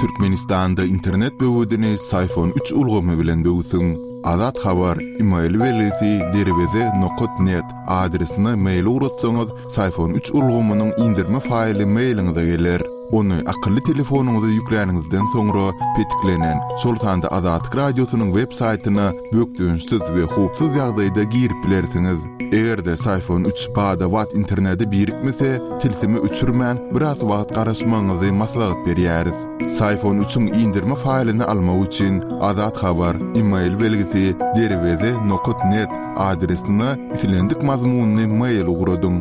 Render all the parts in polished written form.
Türkmenistanda internet böwedini Syfon üç ulgamy bilen böwsüň. Azat Habar, email belgisi derweze nokat net adresine mail ugratsaňyz, Syfon üç ulgamynyň indirme faýly mailiňize geler. Ony akylly telefonyňyza ýükläniňizden soňra petiklenen, şol sanda Azatlyk Radiosynyň web saýtyna bökdençsiz we howpsuz ýagdaýda girip bilersiňiz. Eger-de Syfon üç bada-bat internete birikmese, tilsimi öçürmän, biraz wagt garaşmagyňyzy maslahat berýäris. Syfon üçiň indirme faýlyny almak üçin Azat Habar, email belgisi, derweze nokat net adresine islendik mazmunly mail ugradyň.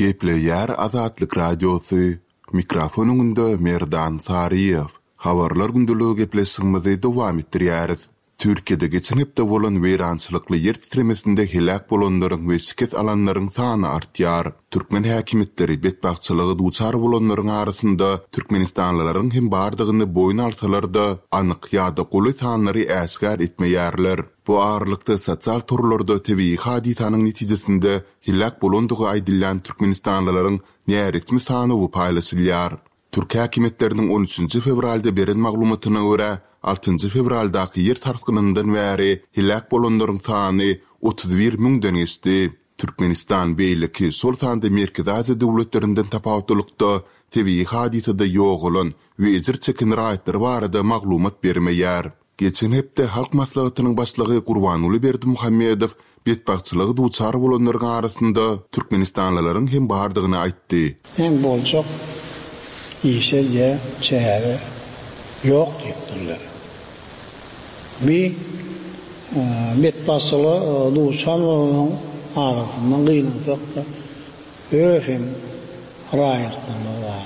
Gepleýär Azatlyk Radiosy, Mikrofon öňünde Merdan Saryýew. Habarlar gündeligi gepleşigimizi dowam etdirýäris. Türkiýede geçen hepde bolan weýrançylykly ýer titremesinde heläk bolanlaryň we şikes alanlaryň sany artýar. Türkmen häkimiýetleri betbagtçylyga duçar bolanlaryň arasynda türkmenistanlylaryň hem bardygyny boýun alsalar-da, anyk ýa-da golaý sanlary äşgär etmeýärler. Bu aralykda sosial torlarda tebigy hadysanyň netijesinde heläk bolandygy aýdylýan türkmenistanlylaryň näresmi sanawy paýlaşylýar. Türk häkimiýetleriniň on üçünji fewralda beren maglumatyna görä, altynjy fewraldaky ýer sarsgynyndan bäri heläk bolanlaryň sany 31 müňden geçdi. Türkmenistan beýleki, şol sanda Merkezi Aziýa döwletlerinden tapawutlylykda, tebigy hadysada ýogalan we ejir çeken raýatlar barada maglumat bermeýär. Geçen hepde Halk Maslahatynyň Başlygy Gurbanguly Berdimuhamedow betbagtçylyga duçar bolanlaryň arasynda türkmenistanlylaryň hem bardygyny aýtdy. Meň boljak işe diýä çäre ýok diýipdirler. Bi betbagtçylyga duçar bolanlaryň arasynda gynansak-da öz hem raýatlarymyz bar.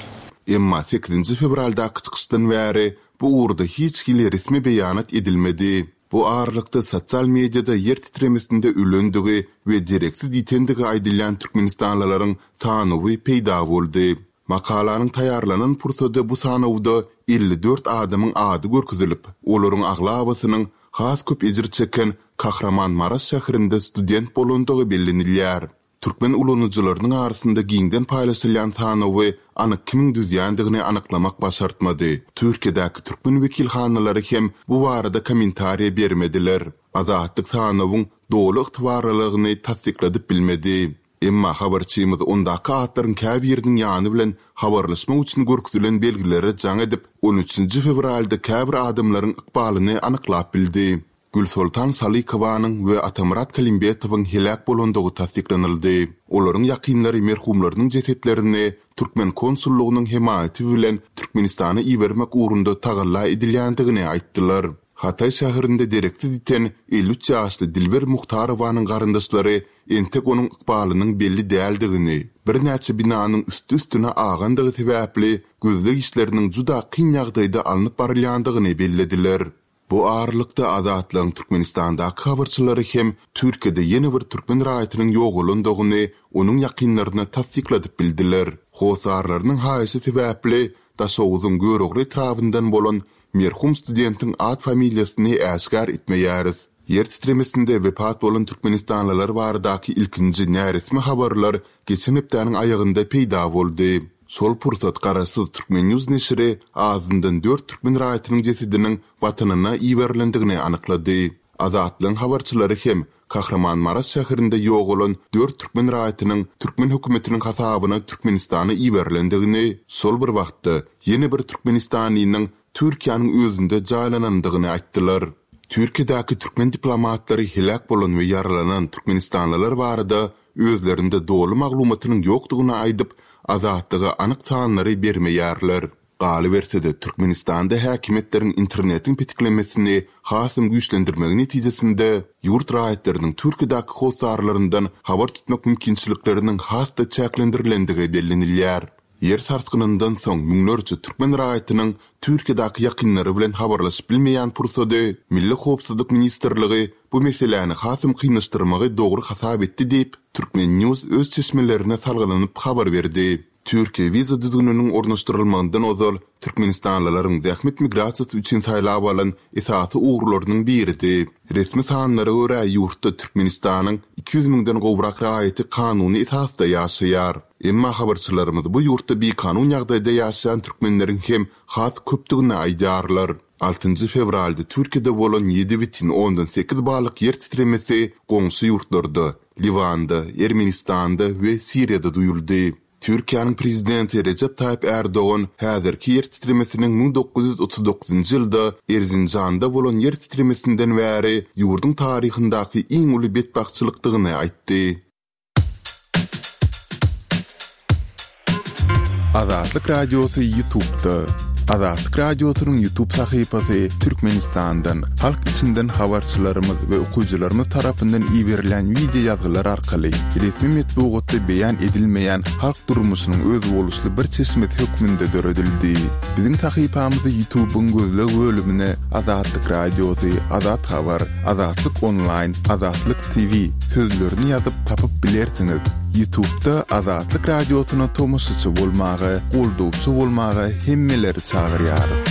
Emma sekizinji fewraldaky çykyşdan bäri Bu ugurda hiç hili resmi beýanat edilmedi. Bu aralykda sosial mediada ýer titremesinde ölendigi we dereksiz ýitendigi aýdylýan türkmenistanlylaryň sanawy peýda boldy. Makalanyň taýýarlanan pursady bu sanawda 54 adamyň ady görkezilip, olaryň aglabasynyň has köp ejir çeken Kahramanmaraş şäherinde student bolandygy bellenilýär. Türkmen ulanyjylarynyň arasynda giňden paýlaşylýan sanawy anyk kimiň düzýändigini anyklamak başartmady. Türkiýedäki türkmen wekilhanalary hem bu barada kommentariýa bermediler. Azatlyk sanawyň doly ygtybarlylygyny tassykladyp bilmedi. Emma habarçymyz ondaky atlaryň käbiriniň ýany bilen habarlaşmak üçin görkezilen belgilere jaň edip, on üçünji fewralda käbir adamlaryň ykbalyny anyklap bildi. Gülsoltan Salykowanyň we Atamyrat Kalimbetowyň heläk bolandygy tassyklanyldy. Olaryň ýakynlary merhumlarynyň jesetlerini türkmen konsullygynyň hemaýaty bilen Türkmenistana ibermek ugrunda tagalla edilýändigini aýtdylar. Hataý şäherinde dereksiz ýiten 53 ýaşly Dilber Muhtarowanyň garyndaşlary entek onuň ykbalynyň belli däldigini, birnäçe binanyň üsti-üstüne agandygy sebäpli gözleg işleriniň juda kyn ýagdaýda alnyp barylýandygyny bellediler. Bu aralykda, Azatlygyň Türkmenistandaky habarçylary hem Türkiýede ýene bir türkmen raýatynyň ýogalandygyny onuň ýakynlaryna tassykladyp bildiler. Hossarlarynyň haýyşy sebäpli Daşoguzyň Görogly etrabyndan bolan merhum studentiň at-familiýasyny äşgär etmeýäris. Ýer titremesinde wepat bolan türkmenistanlylar baradaky ilkinji näresmi habarlar geçen hepdäniň aýagynda peýda boldy. Şol pursat garaşsyz Turkmennews neşiri azyndan dört türkmen raýatynyň jesediniň Watanyna iberilendigini anyklady. Azatlygyň habarçylary hem Kahramanmaraş şäherinde ýogalan dört türkmen raýatynyň türkmen hökümetiniň hasabyna Türkmenistana iberilendigini, şol bir wagtda ýene bir türkmenistanlynyň Türkiýäniň özünde jaýlanandygyny aýtdylar. Türkiýedäki türkmen diplomatlary heläk bolan we ýaralanan türkmenistanlylar barada özlerinde doly maglumatynyň ýokdugyny aýdyp, Azatlyga anyk sanlary bermeýärler. Galyberse-de, Türkmenistanda häkimiýetleriň internetiň petiklemesini hasam güýçlendirmegi netijesinde, ýurt raýatlarynyň Türkiýedäki hossarlaryndan habar tutmak mümkinçilikleriniň has-da çäklendirilendigi bellenilýär. Ýer sarsgynyndan soň müňlerçe türkmen raýatynyň Türkiýedäki ýakynlary bilen habarlaşyp bilmeýän pursady Milli howpsuzlyk ministrligi bu meseläni hasam kynlaşdyrmagy dogry hasap etdi diýip, Turkmen. News öz çeşmelerine salgylanyp habar berdi. Türkiýe wiza düzgüniniň ornaşdyrylmagyndan ozal türkmenistanlylaryň zähmet migrasiýasy üçin saýlap alan esasy ugurlarynyň biridi. Resmi sanlara görä, ýurtda Türkmenistanyň 200 müňden gowrak raýaty kanuny esasda ýaşaýar. Emma habarçylarymyz bu ýurtda bikanun ýagdaýda ýaşaýan türkmenleriň hem has köpdügini aýdýarlar. Altynjy fewralda Türkiýede bolan 7,8 ballyk ýer titremesi goňşy ýurtlarda, Liwanda, Ermenistanda we Siriýada duýuldy. Türkiýäniň Prezidenti Rejep Taýyp Ärdogan häzirki ýer titremesiniň 1939-njy ýylda Erzinjanda bolan ýer titremesinden bäri ýurduň taryhyndaky iň uly betbagtçylykdygyny aýtdy. Azatlyk Radiosy YouTube'da. Azatlyk Radiosynyň YouTube sahypasy Türkmenistandan, halk içinden habarçylarymyz we okyjylarymyz tarapyndan iberilen wideo ýazgylar arkaly resmi metbugatda beýan edilmeýän halk durmuşynyň özboluşly bir çeşmesi hökmünde döredildi. Biziň sahypamyzy YouTube-yň gözleg bölümine Azatlyk Radiosy, Azat Habar, Azatlyk Onlaýn, Azatlyk TV sözlerini ýazyp tapyp bilersiňiz. Ýutubda Azatlyk Radiosyna tomaşaçy bolmaga, goldawçy bolmaga hemmeleri çagyrýarys.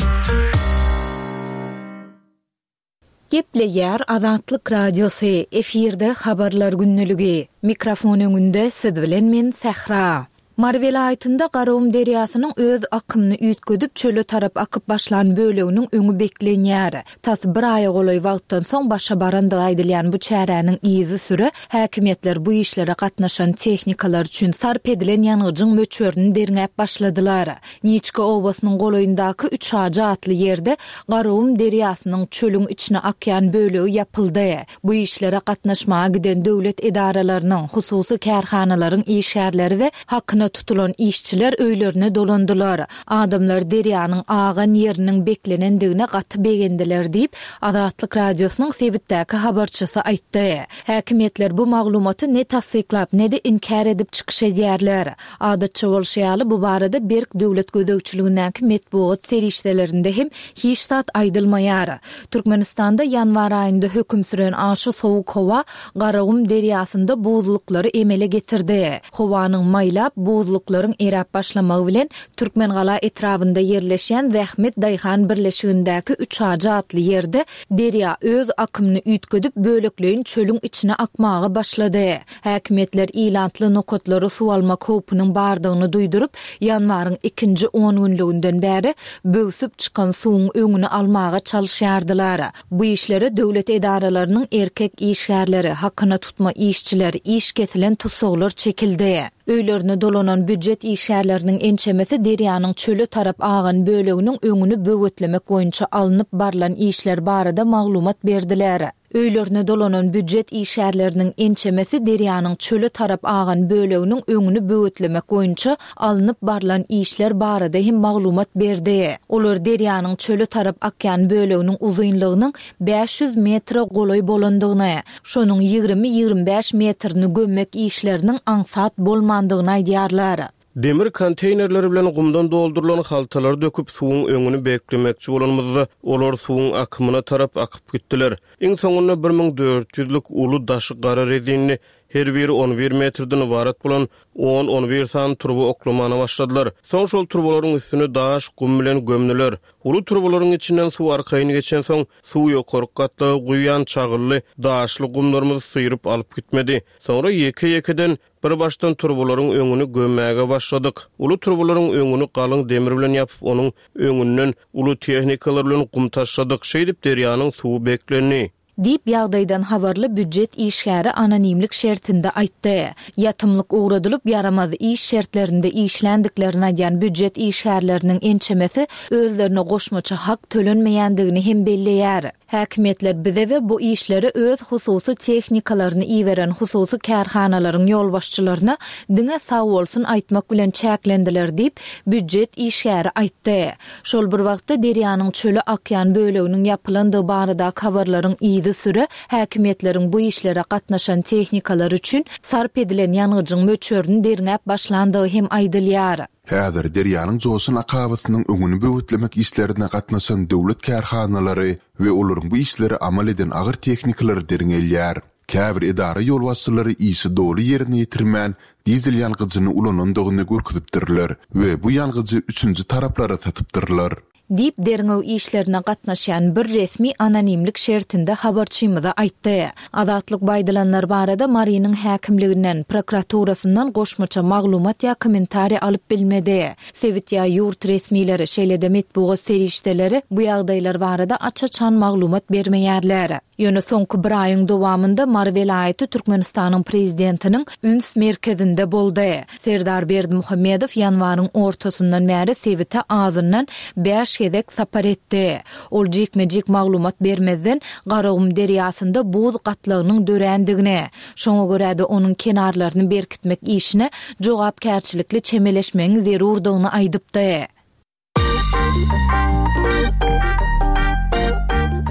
Gepleýär Azatlyk Radiosy, efirde Habarlar gündeligi. Mikrofon öňünde siz bilen men Sähra. Mary welaýatynda Garagum derýasynyň öz akymyny üýtgedip, çöle tarap akyp başlan böleginiň öňi beklenýär. Tas bir aýa golaý wagtdan soň başa barandygy aýdylýan bu çäräniň yzysüre häkimiýetler bu işlere gatnaşan tehnikalar üçin sarp edilen ýangyjyň möçberini derňäp başladylar. Niçka obasynyň golaýyndaky Üçajy atly ýerde Garagum derýasynyň çölüň içine akýan bölegi ýapyldy. Bu işlere gatnaşmaga giden döwlet edaralarynyň, hususy kärhanalaryň işgärleri we hakyna tutulan işçiler öýlerine dolandylar. Adamlar derýanyň agan ýeriniň beklenendigine gaty begendiler diýip, Azatlyk Radiosynyň sebitdäki habarçysy aýtdy. Häkimiýetler bu maglumaty ne tassyklap, ne-de inkär edip çykyş edýärler. Adatça bolşy ýaly, bu barada berk döwlet gözegçiligindäki metbugat serişdelerinde hem hiç zat aýdylmaýar. Türkmenistanda ýanwar aýynda höküm süren aşa sowuk howa Garagum derýasynda buzluklary emele getirdi. Howanyň maýlap, buzluklaryň eräp başlamagy bilen, Türkmengala etrabynda ýerleşýän Zähmet daýhan birleşigindäki Üçajy atly ýerde derýa öz akymyny üýtgedip, bölekleýin çölüň içine akmaga başlady. Häkimiýetler ilatly nokatlara suw almak howpunyň bardygyny duýduryp, ýanwaryň ikinji ongünlüginden bäri böwsüp çykan suwuň öňüni almaga çalyşýardylar. Bu işlere döwlet edaralarynyň erkek işgärleri, hakyna tutma işçiler, iş kesilen tussaglar çekildi. Öýlerine dolanan býujet işgärleriniň ençemesi derýanyň çöle tarap agan böleginiň öňüni böwetlemek boýunça alnyp barlan işler barada maglumat berdiler. Öýlerine dolanan býujet işgärleriniň ençemesi derýanyň çöle tarap agan böleginiň öňüni böwetlemek boýunça alnyp barlan işler barada hem maglumat berdi. Olar derýanyň çöle tarap akýan böleginiň uzynlygynyň 500 metre golaý bolandygyny, şonuň 20-25 metrini gömmek işleriniň aňsat bolmandygyny aýdýarlar. Demir konteýnerleri bilen gumdan doldurylan haltalary döküp, suwuň öňüni beklemekçi bolanymyzda, olar suwuň akymyna tarap akyp gitdiler. Iň soňunda 1000 ýüzlük uly daşy gara rezinli, her biri on bir metrden ybarat bolan on-on bir sany turba oklamana başladylar. Soň şol turbalaryň üstüni daş, gum bilen gömdüler. Uly turbalaryň içinden suw arkaýyn geçensoň, suw ýokarky gatlaga guýýan çagylly, daşly gumlarymyzy syryp alyp gitmedi. Soňra ýeke-ýekeden Bir başdan turbalaryň öňüni gömmäge başladyk. Uly turbalaryň öňüni galyň demir bilen ýapyp, onuň öňünden uly tehnikalar bilen gum taşladyk. Şeýdip, derýanyň suwy beklendi. Diýip, ýagdaýdan habarly býujet işgäri anonimlik şertinde aýtdy. Ýatymlyk ugradylyp, ýaramaz iş şertlerinde işländiklerini aýdýan býujet işgärleriniň ençemesi özlerine goşmaça hak tölenmeýändigini hem belleýär. Häkimiýetler bize we bu işlere öz hususy tehnikalaryny iberen hususy kärhanalaryň ýolbaşçylaryna diňe sagbolsun aýtmak bilen çäklendiler diýip, býujet işgäri aýtdy. Şol bir wagtda, derýanyň çöle akýan böleginiň ýapylandygy baradaky habarlaryň yzysüre häkimiýetleriň bu işlere gatnaşan tehnikalar üçin sarp edilen ýangyjyň möçberini derňäp başlandygy hem aýdylýar. Häzir derýanyň joşan akabasynyň öňüni böwetlemek işlerine gatnaşan döwlet kärhanalary we olaryň bu işleri amal eden agyr tehnikalary derňelýär. Käbir edara ýolbaşçylary işi doly ýerine ýetirmän, dizel ýangyjyny ulanandygyny görkezipdirler we bu ýangyjy üçünji taraplara satypdyrlar. Diýip, derňew işlerine gatnaşýan bir resmi anonimlik şertinde habarçymyza aýtdy. Azatlyk bu aýdylanlar barada Marynyň häkimliginden, prokuraturasyndan goşmaça maglumat ýa kommentariý alyp bilmedi. Sebit ýa ýurt resmileri, şeýle-de metbugat serişdeleri bu ýagdaýlar barada aç-açan maglumat bermeýärler. Ýöne soňky bir aýyň dowamynda Mary welaýaty Türkmenistanyň prezidentiniň üns merkezinde boldy. Serdar Berdimuhamedow ýanwaryň ortasyndan bäri sebite azyndan bäş gezek sapar etdi. Ol jikme-jik maglumat bermezden, Garagum derýasynda buz gatlagynyň dörändigini, şoňa görä-de onuň kenarlaryny berkitmek işine jogapkärçilikli çemeleşmegiň zerurdygyny aýdypdy.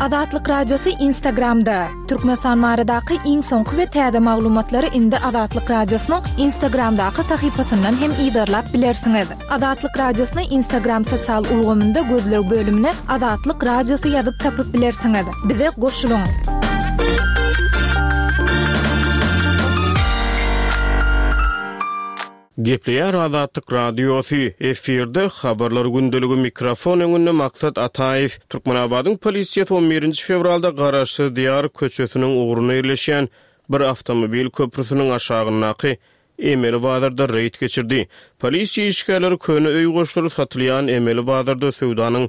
Azatlyk Radiosy Instagramda, Türkmenistan baradaky iň soňky we täze maglumatlary indi Azatlyk Radiosynyň Instagramdaky sahypasyndan hem yzarlap bilersiňiz. Azatlyk Radiosyny Instagram sosial ulgamynda gözleg bölümine Azatlyk Radiosy ýazyp tapyp bilersiňiz. Bize goşulyň! Gepleýär Azatlyk Radiosy, efirde Habarlar gündeligi mikrofon öňünde Maksat Ataýew. Türkmenabadyň polisiýasy on birinji fewralda Garaşsyz Diýar köçesiniň ugrunda ýerleşýän bir awtomobil köprüsiniň aşagyndaky emeli bazarda reýd geçirdi. Polisiýa işgärleri köne öý goşlary satylýan emeli bazarda söwdanyň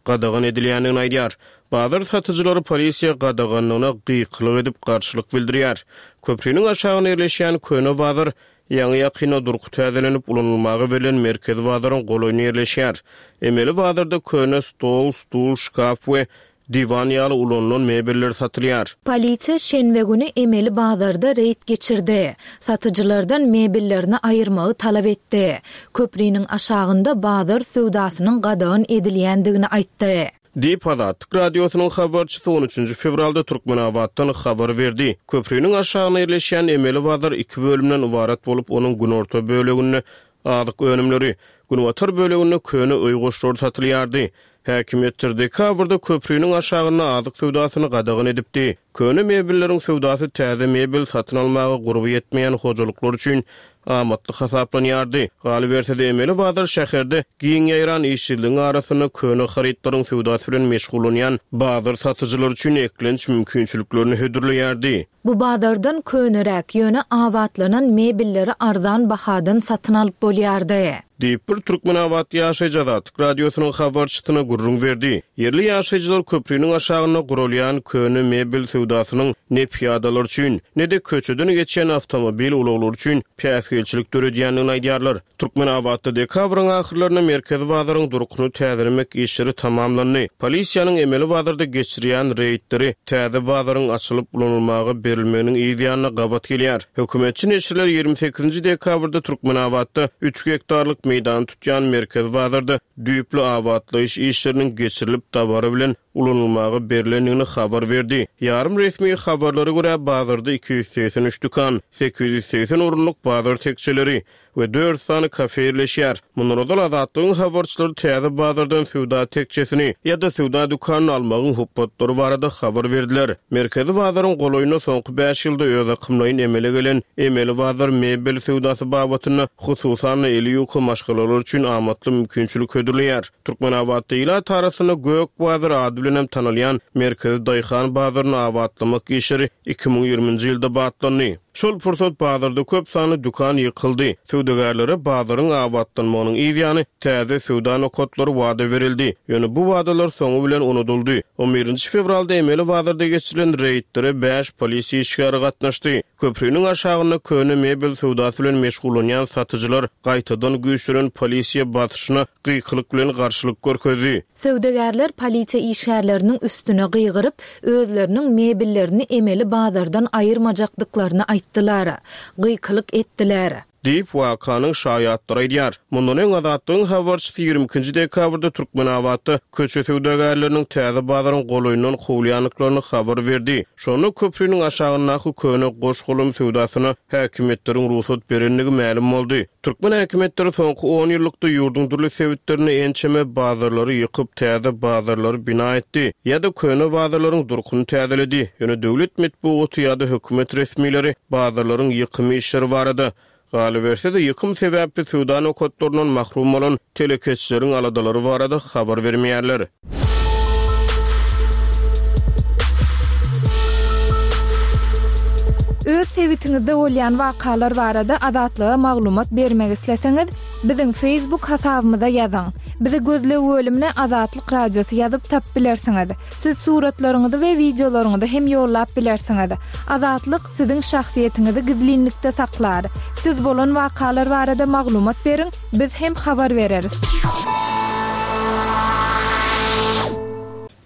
gadagan edilýändigini aýdýar. Bazar satyjylary polisiýa gadaganlygyna gykylyk edip garşylyk bildirýär. Köpriniň aşagynda ýerleşýän köne bazar ýaňy-ýakynda durky täzelenip ulanylmaga berlen merkezi bazaryň golaýynda ýerleşýär. Emeli bazarda köne stol, stul, şkaf we diwan ýaly ulanylan mebeller satylýar. Polisiýa şenbe güni emeli bazarda reýd geçirdi. Satyjylardan mebellerini aýyrmagy talap etdi. Köpriniň aşagynda bazar söwdasynyň gadagan edilýändigini aýtdy. Diýip, Azatlyk Radiosynyň habarçysy on üçünji fewralda Türkmenabatdan habar berdi. Köpriniň aşagynda ýerleşýän emeli bazar iki bölümden ybarat bolup, onuň günorta böleginde azyk önümleri, günbatar böleginde köne öý goşlary satylýardy. Häkimiýetler dekabrda köpriniň aşagynda azyk söwdasyny gadagan edipdi. Köne mebelleriň söwdasy täze mebel satyn almaga gurby ýetmeýän hojalyklar üçin amatly hasaplanýardy. Galyberse-de, emeli bazar şäherde giň ýaýran işsizligiň arasynda köne harytlaryň söwdasy bilen meşgullanýan bazar satyjylary üçin eklenç mümkinçiliklerini hödürleýärdi. Bu bazardan köneräk, ýöne abatlanan mebelleri arzan bahadan satyn alyp bolýardy. Diýip, bir türkmenabatly ýaşaýjy Azatlyk Radiosynyň habarçysyna gürrüň berdi. Ýerli ýaşaýjylar köpriniň aşagynda guralýan köne mebel söwdasynyň ne pyýadalar üçin, ne-de köçeden geçýän awtomobil ulaglary üçin päsgelçilik döredýändigini aýdýarlar. Türkmenabatda dekabryň ahyrlarynda merkezi bazaryň durkuny täzelemek işleri tamamlandy. Polisiýanyň emeli bazarda geçirýän reýdleri täze bazaryň açylyp ulanylmaga berilmeginiň yz ýanyna gabat gelýär. Hökümetçi neşirler 28-nji dekabrda Türkmenabatda üç gektarlyk meýdany tutýan merkezi bazarda düýpli abatlaýyş işleriniň geçirilip dabara bilen ulanylmaga berlendigini habar berdi. Ýarym resmi habarlara görä, bazarda 283 dükan, 880 orunlyk bazar tekjeleri, we dört sany kafe ýerleşýär. Mundan ozal Azatlygyň habarçylary täze bazardan söwda tekjesini ýa-da söwda dükanyny almagyň hupbatlary barada habar berdiler. Merkezi bazaryň golaýynda soňky bäş ýylda özakymlaýyn emele gelen emeli bazar mebel söwdasy babatynda, hususan-da, eli ýuka maşgalalar üçin amatly mümkinçilik hödürleýär. Türkmenabatda ilat arasynda Gök bazar ady bilen hem tanalýan merkezi daýhan bazaryny abatlamak işleri 2020-nji ýylda batlandy. Şol pursat bazarda köp sanly dükan ýykyldy. Söwdagärlere bazaryň abatlanmagynyň yz ýany täze söwda nokatlary wada berildi. Ýöne bu wadalar soňy bilen unudyldy. On birinji fewralda emeli bazarda geçirilen reýdlere bäş polisiýa işgäri gatnaşdy. Köpriniň aşagynda köne mebel söwdasy bilen meşgullanýan satyjylar gaýtadan güýçlenen polisiýa basyşyna gykylyk bilen garşylyk görkezdi. Söwdagärler polisiýa işgärleriniň üstüne gygyryp, özleriniň mebellerini emeli bazardan aýyrmajakdyklaryny aýtdylar. Gykylyk etdiler. Diýip, wakanyň şaýatlary aýdýar. Mundan öň Azatlygyň habarçysy 22-nji dekabrda Türkmenabatda köçe söwdagärleriniň täze bazaryň golaýyndan kowulýandyklaryny habar berdi. Şonda köpriniň aşagyndaky köne goş-golam söwdasyna häkimiýetleriň rugsat berendigi mälim boldy. Türkmen häkimiýetleri soňky on ýyllykda ýurduň dürli sebitlerinde ençeme bazarlary ýykyp, täze bazarlary bina etdi ýa-da köne bazarlaryň durkuny täzeledi. Ýöne döwlet metbugaty ýa-da hökümet resmileri bazarlaryň ýykym işleri barada, galyberse-de, ýykym sebäpli söwda nokatlaryndan mahrum bolan telekeçileriň aladalary barada habar bermeýärler. Öz sebitiňizde bolýan wakalar barada Azatlyga maglumat bermek isleseňiz, biziň Facebook hasabymyza ýazyň. Bizi gözleg bölümine Azatlyk Radiosy ýazyp tapyp bilersiňiz. Siz suratlaryňyzy we wideolaryňyzy hem ýollap bilersiňiz. Azatlyk siziň şahsyýetiňizi gizlinlikde saklar. Siz bolan wakalar barada maglumat beriň, biz hem habar bereris.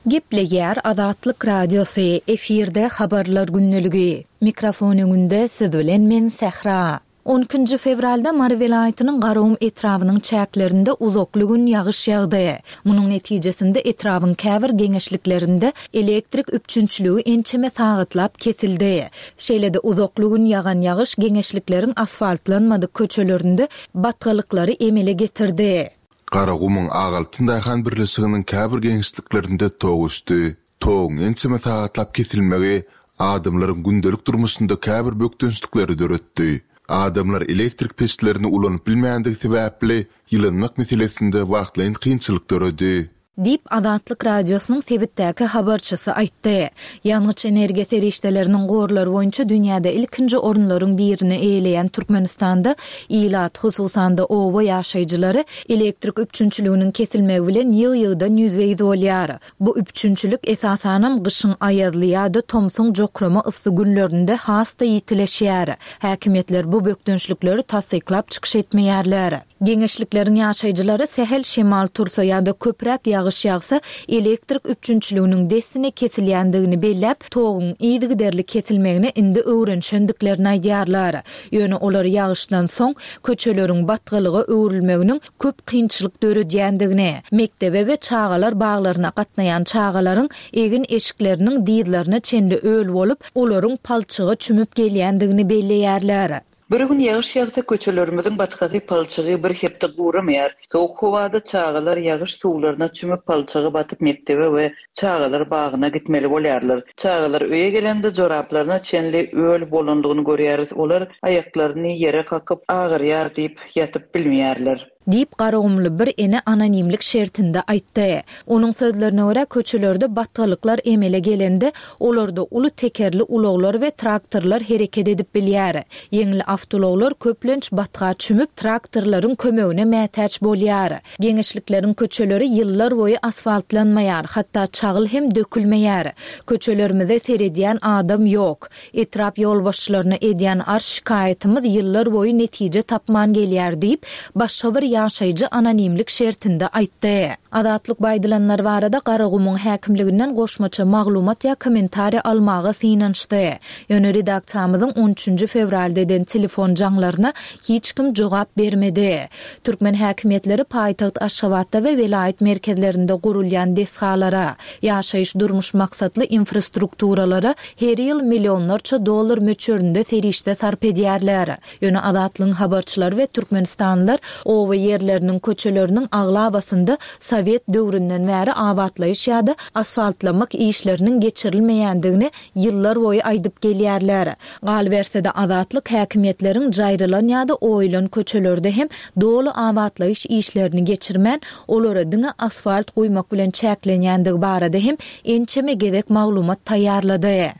Gepleýär Azatlyk Radiosy, efirde Habarlar gündeligi. Mikrofon öňünde siz bilen men Sähra. On ikinji fewralda Mary welaýatynyň Garagum etrabynyň çäklerinde uzakly gün ýagyş ýagdy. Munuň netijesinde etrabyň käbir geňeşliklerinde elektrik üpjünçiligi ençeme sagatlap kesildi. Şeýle-de uzakly gün ýagan ýagyş geňeşlikleriň asfaltlanmadyk köçelerinde batgalyklary emele getirdi. Garagumuň Ak altyn daýhan birleşiginiň käbir geňeşliklerinde tok öçdi. Toguň ençeme sagatlap kesilmegi adamlaryň gündelik durmuşynda käbir bökdençlikleri döretdi. Adamlar elektrik peçlerini ulanyp bilmändigi sebäpli, ýylanmak meselesinde wagtlaýyn kynçylyk döredi. Diýip, Azatlyk Radiosynyň sebitdäki habarçysy aýtdy. Ýangyç-energiýa serişdeleriniň gorlary boýunça dünýäde ilkinji orunlaryň birini eýeleýän Türkmenistanda ilat, hususan-da, oba ýaşaýjylary elektrik üpjünçiliginiň kesilmegi bilen ýygy-ýygydan ýüzbe-ýüz bolýar. Bu üpjünçilik, esasanam, gyşyň aýazly ýa-da tomsuň jokrama yssy günlerinde has-da ýitileşýär. Häkimiýetler bu bökdençlikleri tassyklap çykyş etmeýärler. Geňeşlikleriň ýaşaýjylary sähel şemal tursa ýa-da köpräk ýagyş ýagsa, elektrik üpjünçiliginiň dessine kesilýändigini belläp, toguň yzygiderli kesilmegine indi öwrenişendiklerini aýdýarlar. Ýöne olar ýagyşdan soň köçeleriň batgalyga öwrülmeginiň köp kynçylyk döredýändigini, mekdebe we çagalar baglaryna gatnaýan çagalaryň egin-eşikleriniň dyzlaryna çenli öl bolup, olaryň palçyga çümüp gelýändigini belleýärler. Bir gün ýagyş ýagsa köçelerimiziň batgasy palçygy bir hepde guramaýar. Sowuk howada çagalar ýagyş suwlaryna çümüp palçyga batyp mekdebe we çagalar bagyna gitmeli bolýarlar. Çagalar öýe gelende joraplaryna çenli öl bolandygyny görýäris, olar aýaklaryny ýere kakyp agyrýar diýip ýatyp bilmeýärler. Diýip, garagumly bir ene anonimlik şertinde aýtdy. Onuň sözlerine görä, köçelerde batgalyklar emele gelende, olarda uly tekerli ulaglar we traktorlar hereket edip bilýär. Ýeňil awtoulaglar köplenç batga çümüp, traktorlaryň kömegine mätäç bolýar. Geňeşlikleriň köçeleri ýyllar boýy asfaltlanmaýar, hatda çagyl hem dökülmeýär. Köçelerimize seredýän adam ýok. Etrap ýolbaşçylaryna edýän arz-şikaýatymyz ýyllar boýy netije tapman gelýär diýip, başga bir ýaşaýjy anonimlik şertinde aýtdy. Azatlyk bu aýdylanlar barada Garagumuň häkimliginden goşmaça maglumat ýa kommentariý almaga synanyşdy. Ýöne redaksiýamyzyň on üçünji fewralda eden telefon jaňlaryna hiç kim jogap bermedi. Türkmen häkimiýetleri paýtagt Aşgabatda we welaýat merkezlerinde gurulýan desgalara, ýaşaýyş-durmuş maksatly infrastrukturalara her ýyl millionlarça dollar möçberinde serişde sarp edýärler. Ýöne Azatlygyň habarçylary we türkmenistanlylar oba ýerleriniň köçeleriniň aglabasynda sowet döwründen bäri abatlaýyş ýa-da asfaltlamak işleriniň geçirilmeýändigini ýyllar boýy aýdyp gelýärler. Galyberse-de, Azatlyk häkimiýetleriň jaýrylan ýa-da oýulan köçelerde hem doly abatlaýyş işlerini geçirmän, olara diňe asfalt guýmak bilen çäklenýändigi barada hem ençeme gezek maglumat taýýarlady.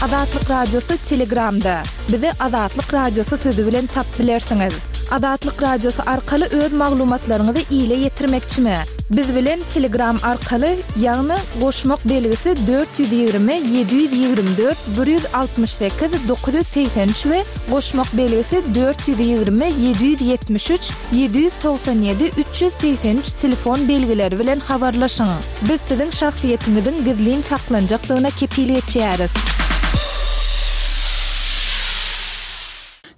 Azatlyk Radiosy Telegramda. Bizi Azatlyk Radiosy sözi bilen tapyp bilersiňiz. Azatlyk Radiosy arkaly öz maglumatlaryňyzy ile ýetirmekçimi? Biz bilen Telegram arkaly, ýagny goşmak belgisi 420 724 168 983 we goşmak belgisi 420 773 797 383 telefon belgileri bilen habarlaşyň. Biz siziň şahsyýetiňiziň gizlin saklanjakdygyna kepil geçýäris.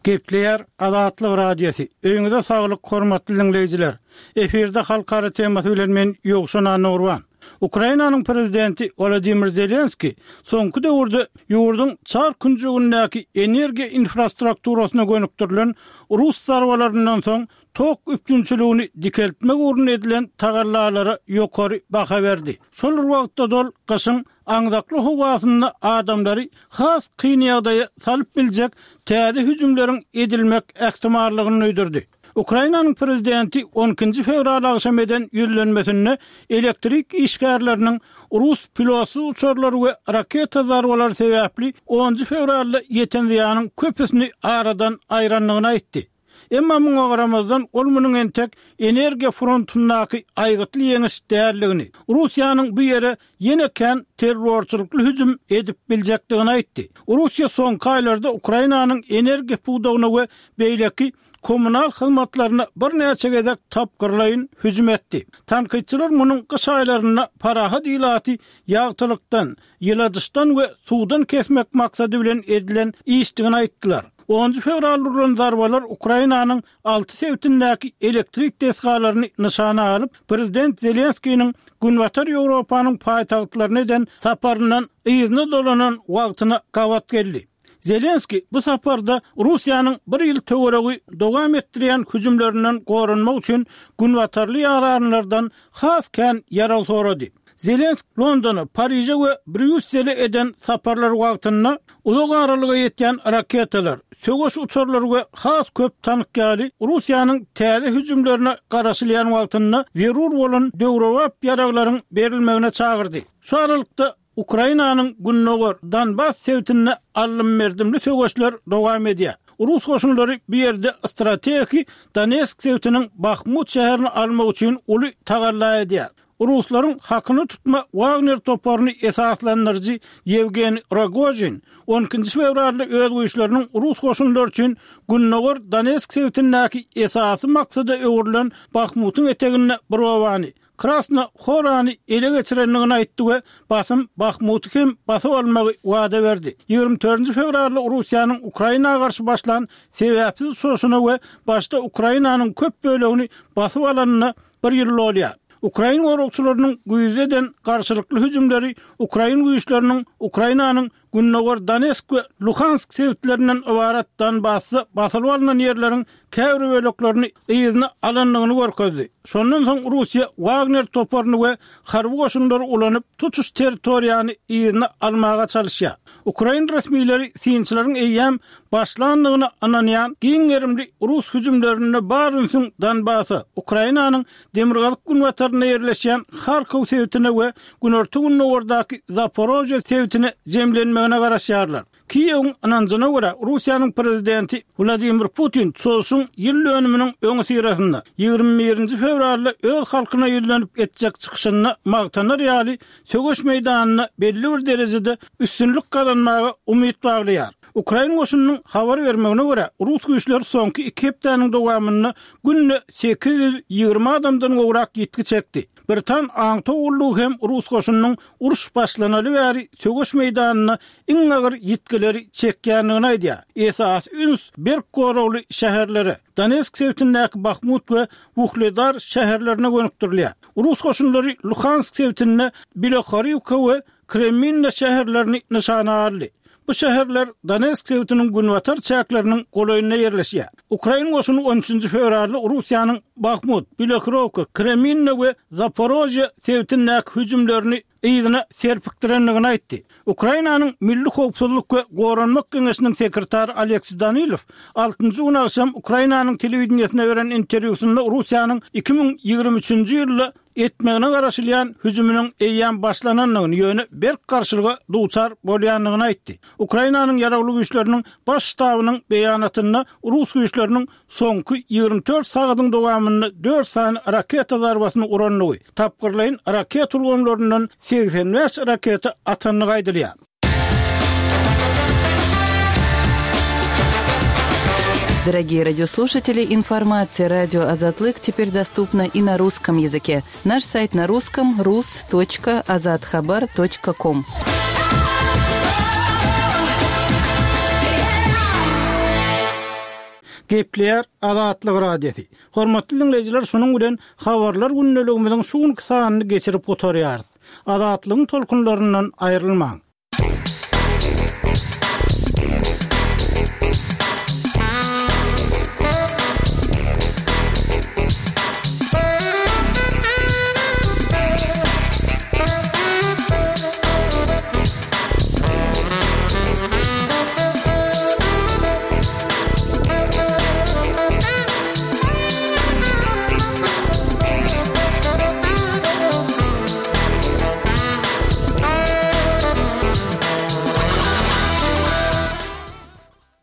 Gepleýär Azatlyk Radiosy. Öýüňize saglyk hormatly diňleýjiler. Efirde halkara temasy bilen men Ýowşan Annagurban. Ukrainanyň prezidenti Wolodymyr Zelenskiý soňky döwürde ýurduň çar künjegindäki energiýa infrastrukturasyna gönükdirilen rus zarbalaryndan soň tok üpjünçiligini dikeltmek ugrunda edilen tagallalara ýokary baha berdi. Şol bir wagtda-da ol gyşyň aňzakly howasynda adamlary has kyn ýagdaýa salyp biljek täze hüjümleriň edilmek ähtimallygyny duýdurdy. Ukrainanyň prezidenti on ikinji fewral agşam eden ýüzlenmesinde elektrik işgärleriniň rus pilotsyz uçarlary we raketa zarbalary sebäpli onunjy fewralda ýeten zyýanyň köpüsini aradan aýrandygyny aýtdy. Emma muňa garamazdan, ol munuň entek energiýa frontyndaky aýgytly ýeňiş däldigini, Russiýanyň bu ýere ýene kän terrorçylykly hüjüm edip biljekdigini aýtdy. Russiýa soňky aýlarda Ukrainanyň energiýa pudagyna we beýleki kommunal hyzmatlaryna birnäçe gezek tapgyrlaýyn hüjüm etdi. Tankytçylar munuň gyş aýlarynda parahat ilaty ýagtylykdan, ýyladyşdan we suwdan kesmek maksady bilen edilen işdigini aýtdylar. Onunjy fewralda urlan zarbalar Ukrainanyň alty sebitindäki elektrik desgalaryny nyşana alyp, prezident Zelenskiniň Günbatar Ýewropanyň paýtagtlaryna eden saparyndan yzyna dolanan wagtyna gabat geldi. Zelenskiý bu saparda Russiýanyň bir ýyl töweregi dowam etdirýän hüjümlerinden goranmak üçin günbatarly ýaranlardan has kän ýarag sorady. Zelensk Londona, Pariže we Brýussele eden saparlary wagtynda uzak aralyga ýetýän raketalar, söweş uçarlary we has köp tank ýaly Russiýanyň täze hüjümlerine garaşylýan wagtynda zerur bolan döwrebap ýaraglaryň berilmegine çagyrdy. Şu aralykda, Ukrainanyň gündogar Donbas sebitinde aldym-berdimli söweşler dowam edýär. Rus goşunlary bu ýerde strategiki Donetsk sebitiniň Bahmut şäherini almak üçin uly tagalla edýär. Ruslaryň hakyna tutma Wagner toparyny esaslandyryjy Ýewgeniý Rogožin on ikinji fewralda öz güýçleriniň rus goşunlary üçin gündogar Donetsk sebitindäki esasy maksada öwrülen Bahmutyň eteginde bir obany, Krasna Horany ele geçirendigini aýtdy we basym Bahmuty hem basyp almagy wada berdi. 24 fewralda Russiýanyň Ukraina garşy başlan sebäpsiz çoşuna we başda Ukrainanyň köp bölegini basyp alanyna bir ýyl dolýar. Ukrain goragçylarynyň güýzde eden garşylykly hüjümleri ukrain güýçleriniň Ukrainanyň Gündogar Donetsk we Luhansk sebitlerinden ybarat Donbasda basylyp alnan ýerleriň käbir böleklerini yzyna alandygyny görkezdi. Şondan soň Russiýa Wagner toparyny we harby goşunlary ulanyp, tutuş territoriýany yzyna almaga çalyşýar. Ukrain resmileri synçylaryň eýýäm başlandygyna ynanýan giň gerimli rus hüjümlerinde bar ünsüň Donbasa, Ukrainanyň demirgazyk-günbatarynda ýerleşýän Harkow sebitine we günorta-gündogardaky Zaporožýe sebitine jemlenmegine garaşýarlar. Kiýewiň ynanjyna görä, Russiýanyň prezidenti Wladimir Putin çozuşyň ýyl dönüminiň öňüsyrasynda, 21 nji fewralda öz halkyna ýüzlenip etjek çykyşynda magtanar ýaly söweş meýdanynda belli bir derejede üstünlik gazanmaga umyt baglaýar. Ukrain goşunynyň habar bermegine görä, rus güýçleri soňky iki hepdäniň dowamynda günde 820 adamdan gowrak ýitgi çekdi. Britan aňtaw gullugy hem rus goşunynyň uruş başlanaly bäri söweş meýdanynda iň agyr ýitgileri çekýändigini aýdýar. Esasy üns berk goragly şäherlere, Donetsk sebitindäki Bahmut we Wuhledar şäherlerine gönükdirilýär. Rus goşunlary Luhansk sebitinde Bilohoriwka we Kreminna şäherlerini nyşana aldy. Bu şäherler Donetsk sebitiniň günbatar çäkleriniň golaýynda ýerleşýär. Ukrain goşuny on üçünji fewralda Russiýanyň Bahmut, Bilohorowka, Kreminna we Zaporožýe sebitindäki hüjümlerini yzyna serpikdirendigini aýtdy. Ukrainanyň Milli howpsuzlyk we goranmak geňeşiniň sekretary Oleksiý Danilow altynjy gün agşam Ukrainanyň telewideniýesine beren interwýusynda Russiýanyň 2023-nji ýylda etmegine garaşylýan hüjüminiň eýýäm başlanandygyny, ýöne berk garşylyga duçar bolýandygyny aýtdy. Ukrainanyň Ýaragly Güýçleriniň Baş ştabynyň beýanatynda rus güýçleriniň soňky 24 sagadyň dowamynda dört sany raketa zarbasyny urandygy, tapgyrlaýyn raketa ulgamlaryndan 85 raketa atandygy aýdylýar. Дорогие радиослушатели, информация радио Азатлык теперь доступна и на русском языке. Наш сайт на русском rus.azathabar.com. Gepleýär Azatlyk Radiosy. Hormatly diňleýjiler şunuň bilen Habarlar gündeligimiziň şu günki sanyny geçirip gutarýarys. Azatlygyň tolkunlaryndan aýrylmaň.